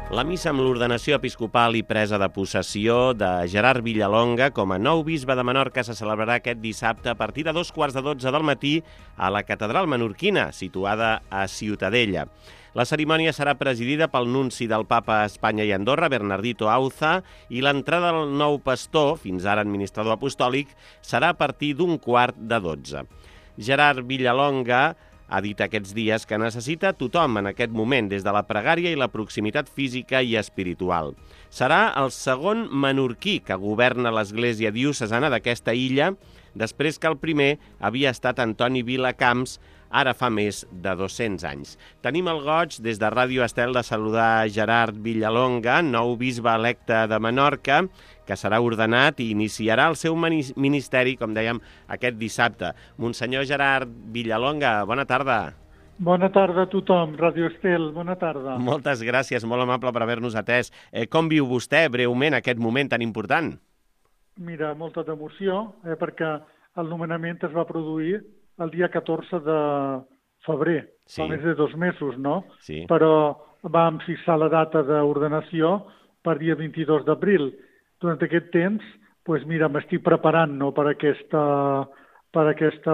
La missa amb l'ordenació episcopal i presa de possessió de Gerard Villalonga com a nou bisbe de Menorca se celebrarà aquest dissabte a partir de 2:15 del matí a la catedral menorquina, situada a Ciutadella. La cerimònia serà presidida pel nunci del Papa a Espanya i Andorra, Bernardito Auza, i l'entrada del nou pastor, fins ara administrador apostòlic, serà a partir d'11:45. Gerard Villalonga ha dit aquests dies que necessita tothom en aquest moment, des de la pregària i la proximitat física i espiritual. Serà el segon menorquí que governa l'Església diocesana d'aquesta illa, després que el primer havia estat Antoni Vilacamps, ara fa més de 200 anys. Tenim el goig, des de Ràdio Estel, de saludar Gerard Villalonga, nou bisbe electe de Menorca, que serà ordenat i iniciarà el seu ministeri, com dèiem, aquest dissabte. Monsenyor Gerard Villalonga, bona tarda. Bona tarda a tothom, Ràdio Estel, bona tarda. Moltes gràcies, molt amable per haver-nos atès. Com viu vostè, breument, aquest moment tan important? Mira, molta d'emoció, perquè el nomenament es va produir el dia 14 de febrer, sí. Fa més de 2 mesos, no? Sí. Però vam fixar la data d'ordenació per dia 22 d'abril. Durant aquest temps, doncs mira, m'estic preparant, no, per aquesta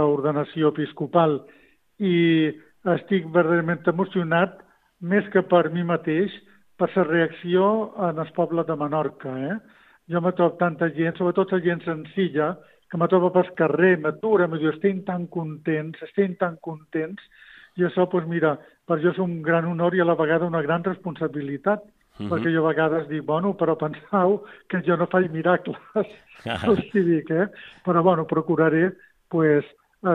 ordenació episcopal i estic verdaderament emocionat, més que per mi mateix, per la reacció en el poble de Menorca. Jo me trobo tanta gent, sobretot la gent senzilla, que me trobo pel carrer, m'atura, me diu, estem tan contents, i això, doncs mira, per jo és un gran honor i a la vegada una gran responsabilitat, perquè jo a vegades dic, bueno, però penseu que jo no faig miracles, però bueno, procuraré, pues,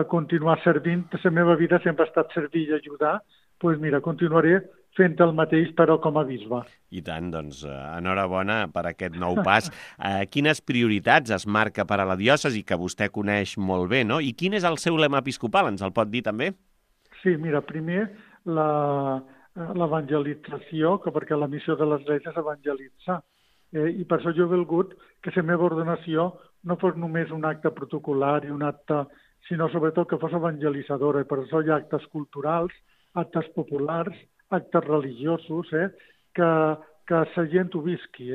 continuar servint, la meva vida sempre ha estat servir i ajudar, doncs mira, continuaré fent el mateix, però com a bisbe. I tant, doncs, enhorabona per aquest nou pas. Quines prioritats es marca per a la diòcesi, que vostè coneix molt bé, no? I quin és el seu lema episcopal, ens el pot dir també? Sí, mira, primer l'evangelització, perquè la missió de l'Església és evangelitzar. I per això jo he volgut que la meva ordenació no fos només un acte protocolar i un acte, sinó sobretot que fos evangelitzadora. I per això hi ha actes culturals, actes populars, actes religiosos, que la gent ho visqui.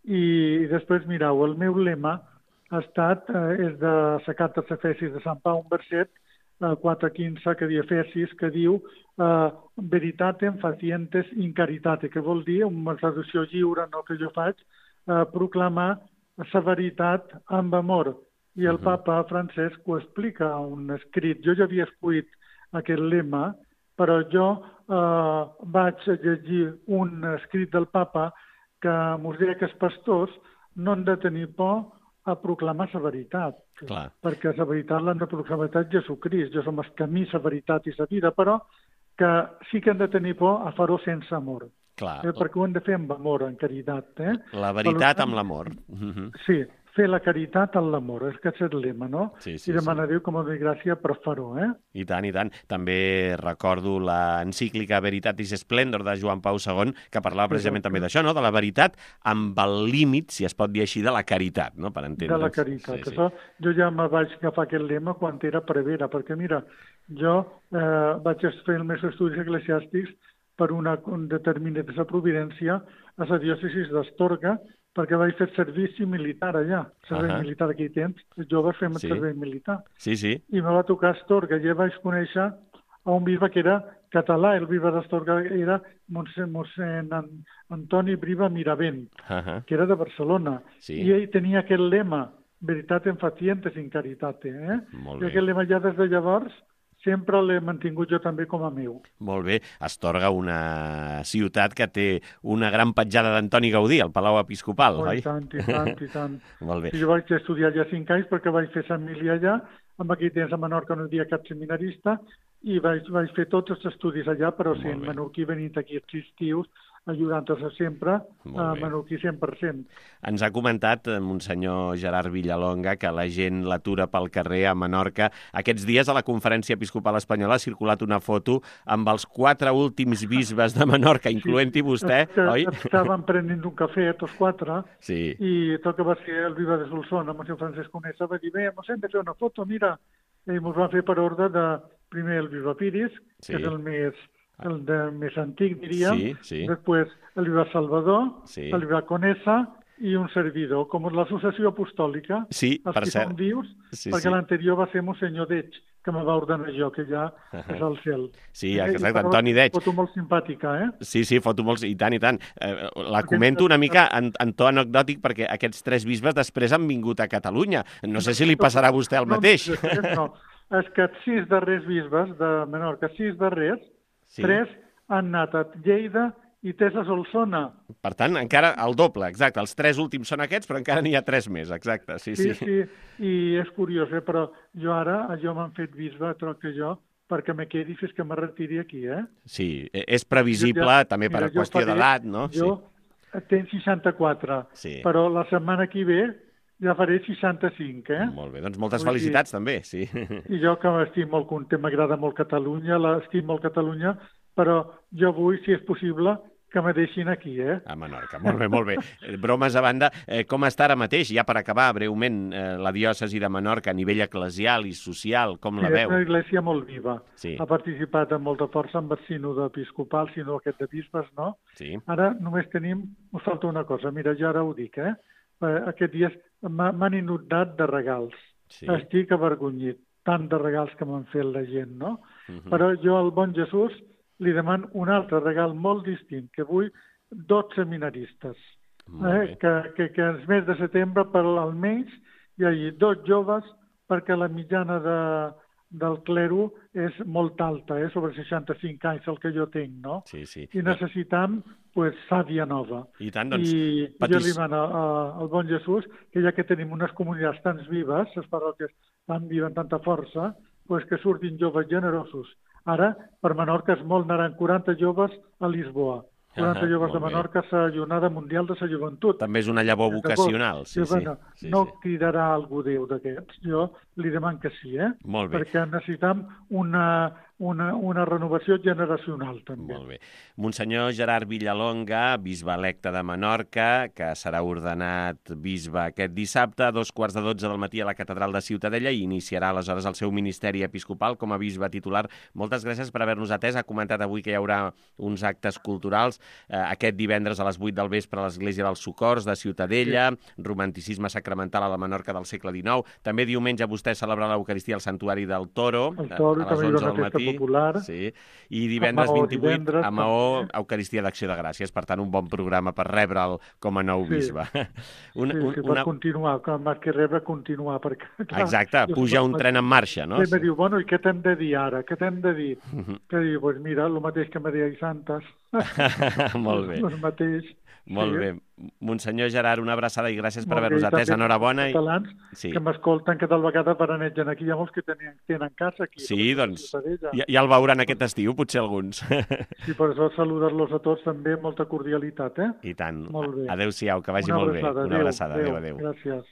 I després, mireu, el meu lema és de la carta als Efesis de Sant Pau, un verset 4:15 que diu Efesis, que diu veritatem facientes in caritate, que vol dir, una traducció lliure, no que jo faig, proclamar la veritat amb amor. I el papa Francesc ho explica a un escrit. Jo ja havia escrit aquest lema, però jo vaig llegir un escrit del papa que ens deia que els pastors no han de tenir por a proclamar la veritat. Clar. Perquè la veritat l'han de proclamar Jesucrist. Jo som el camí, la veritat i la vida, però que sí que han de tenir por a fer-ho sense amor. Clar. Perquè ho han de fer amb amor, en caritat. La veritat amb l'amor. Sí, fer la caritat amb l'amor, és que és el lema, no? Sí, I demanar a Déu com a gràcia per fer-ho, I tant, i tant. També recordo l'encíclica Veritatis Splendor de Joan Pau II, que parlava precisament també d'això, no? De la veritat amb el límit, si es pot dir així, de la caritat, no? Per entendre'ns. De la caritat. Sí. Això, jo ja me vaig agafar aquest lema quan era prevera, perquè mira, jo vaig fer els meus estudis eclesiàstics per un determinat de la providència a la diòcesis d'Astorga, perquè vaig fer servici militar allà, servei militar aquell temps, els joves fem el servei militar. Sí, sí. I me va tocar Astorga, i ja vaig conèixer a un bisbe que era català, el bisbe d'Astorga era mossèn Antoni Briva Miravent, que era de Barcelona, i ell tenia aquest lema, veritatem facientes in caritate, Molt i aquest lema ja des de llavors sempre l'he mantingut jo també com a meu. Molt bé. Astorga, una ciutat que té una gran petjada d'Antoni Gaudí, el Palau Episcopal, oi? I tant. Molt bé. Jo vaig estudiar allà 5 anys perquè vaig fer Sant Emili allà, amb aquell temps a Menorca no hi havia cap seminarista, i vaig fer tots els estudis allà, però sí, en menorquí venint aquí els estius, ajudant-se sempre a menorquí 100%. Ens ha comentat, Monsenyor Gerard Villalonga, que la gent l'atura pel carrer a Menorca. Aquests dies a la Conferència Episcopal Espanyola ha circulat una foto amb els 4 últims bisbes de Menorca, incloent-hi vostè, oi? Estàvem prenent un cafè, tots 4, sí. I tot que va ser el bisbe de Solsona, Monsenyor Francesc Conesa, va dir, ens hem de fer una foto, mira, i ens va fer per ordre de, primer el bisbe Piris, que és el més el de més antic, diríem. Sí, sí. Després el bisbe Salvador, Sí. el bisbe Conesa i un servidor, com l'associació apostòlica, Sí, els per que cert. són vius, Sí, perquè sí. l'anterior va ser Monsenyor Deig, que me va ordenar jo, que ja és al cel. Sí, exacte, Antoni Deig. Foto molt simpàtica, eh? Sí, sí, foto molts, i tant, i tant. La comento una mica en to anecdòtic perquè aquests 3 bisbes després han vingut a Catalunya. No sé si li passarà a vostè el mateix. No, és que 6 darrers bisbes de Menorca, 6 darrers, Sí. 3 han anat a Lleida i 3 a Solsona. Per tant, encara el doble, exacte. Els 3 últims són aquests, però encara n'hi ha 3 més, exacte. Sí, sí. Sí, i és curiós, però jo m'han fet bisbe, troc que jo, perquè me quedi fins que me retiri aquí, eh? Sí, és previsible, també per qüestió d'edat, no? Jo tenc 64, Sí. però la setmana que ve ja faré 65, eh? Molt bé, doncs moltes felicitats també, sí. I jo que estic molt content, m'agrada molt Catalunya, estic molt Catalunya, però jo vull, si és possible, que me deixin aquí, eh? A Menorca, molt bé, molt bé. Bromes a banda, com està ara mateix, ja per acabar breument, la diòcesi de Menorca a nivell eclesial i social, com la veu? És una església molt viva. Sí. Ha participat amb molta força amb el sínode episcopal, sinó aquest de bisbes, no? Sí. Ara només us falta una cosa, mira, jo ara ho dic, Aquests dies m'han inundat de regals. Sí. Estic avergonyit, tant de regals que m'han fet la gent, no? Però Uh-huh. jo al bon Jesús li demano un altre regal molt distint, que vull 2 seminaristes. Que el mes de setembre, per almenys, hi hagi 2 joves, perquè la mitjana del clero és molt alta, sobre 65 anys, el que jo tinc, no? Sí, sí. I necessitam, sàvia nova. I tant, doncs... I jo li demano al bon Jesús que ja que tenim unes comunitats tan vives, les parròquies tan vives, amb tanta força, que surtin joves generosos. Ara, per Menorca és molt, anaran 40 joves a Lisboa. 40 joves de Menorca a la Jornada Mundial de la Joventut. També és una llavor vocacional, sí, sí. No cridarà algú Déu d'aquests, jo li demano que sí, Molt bé. perquè necessitam una renovació generacional, també. Molt bé. Monsenyor Gerard Villalonga, bisbe electe de Menorca, que serà ordenat bisbe aquest dissabte a 2:15 del matí a la catedral de Ciutadella i iniciarà aleshores el seu ministeri episcopal com a bisbe titular. Moltes gràcies per haver-nos atès. Ha comentat avui que hi haurà uns actes culturals aquest divendres a les 8 del vespre a l'Església dels Socors de Ciutadella, romanticisme sacramental a la Menorca del segle XIX. També diumenge vostè celebrarà l'Eucaristia al Santuari del Toro, el Toro a les 11 del matí. Popular. Sí. I divendres 28 a Maó, Eucaristia d'Acció de Gràcies. Per tant, un bon programa per rebre'l com a nou bisbe. Per continuar, més que rebre, continuar. Perquè, clar, exacte, puja un tren en marxa, no? I em diu, i què t'hem de dir ara? Què t'hem de dir? Que diu, mira, el mateix que me deia Santes. Molt bé. El mateix. Molt bé. Monsenyor Gerard, una abraçada i gràcies per haver-nos atès. Enhorabona. Els catalans que m'escolten, que tal vegada veranegen aquí. Hi ha molts que tenen casa aquí. Sí, doncs, ja el veuran aquest estiu, potser alguns. Sí, per això saludar-los a tots també, molta cordialitat, I tant. Molt bé. Adéu-siau, que vagi molt bé. Una abraçada. Adéu. Gràcies.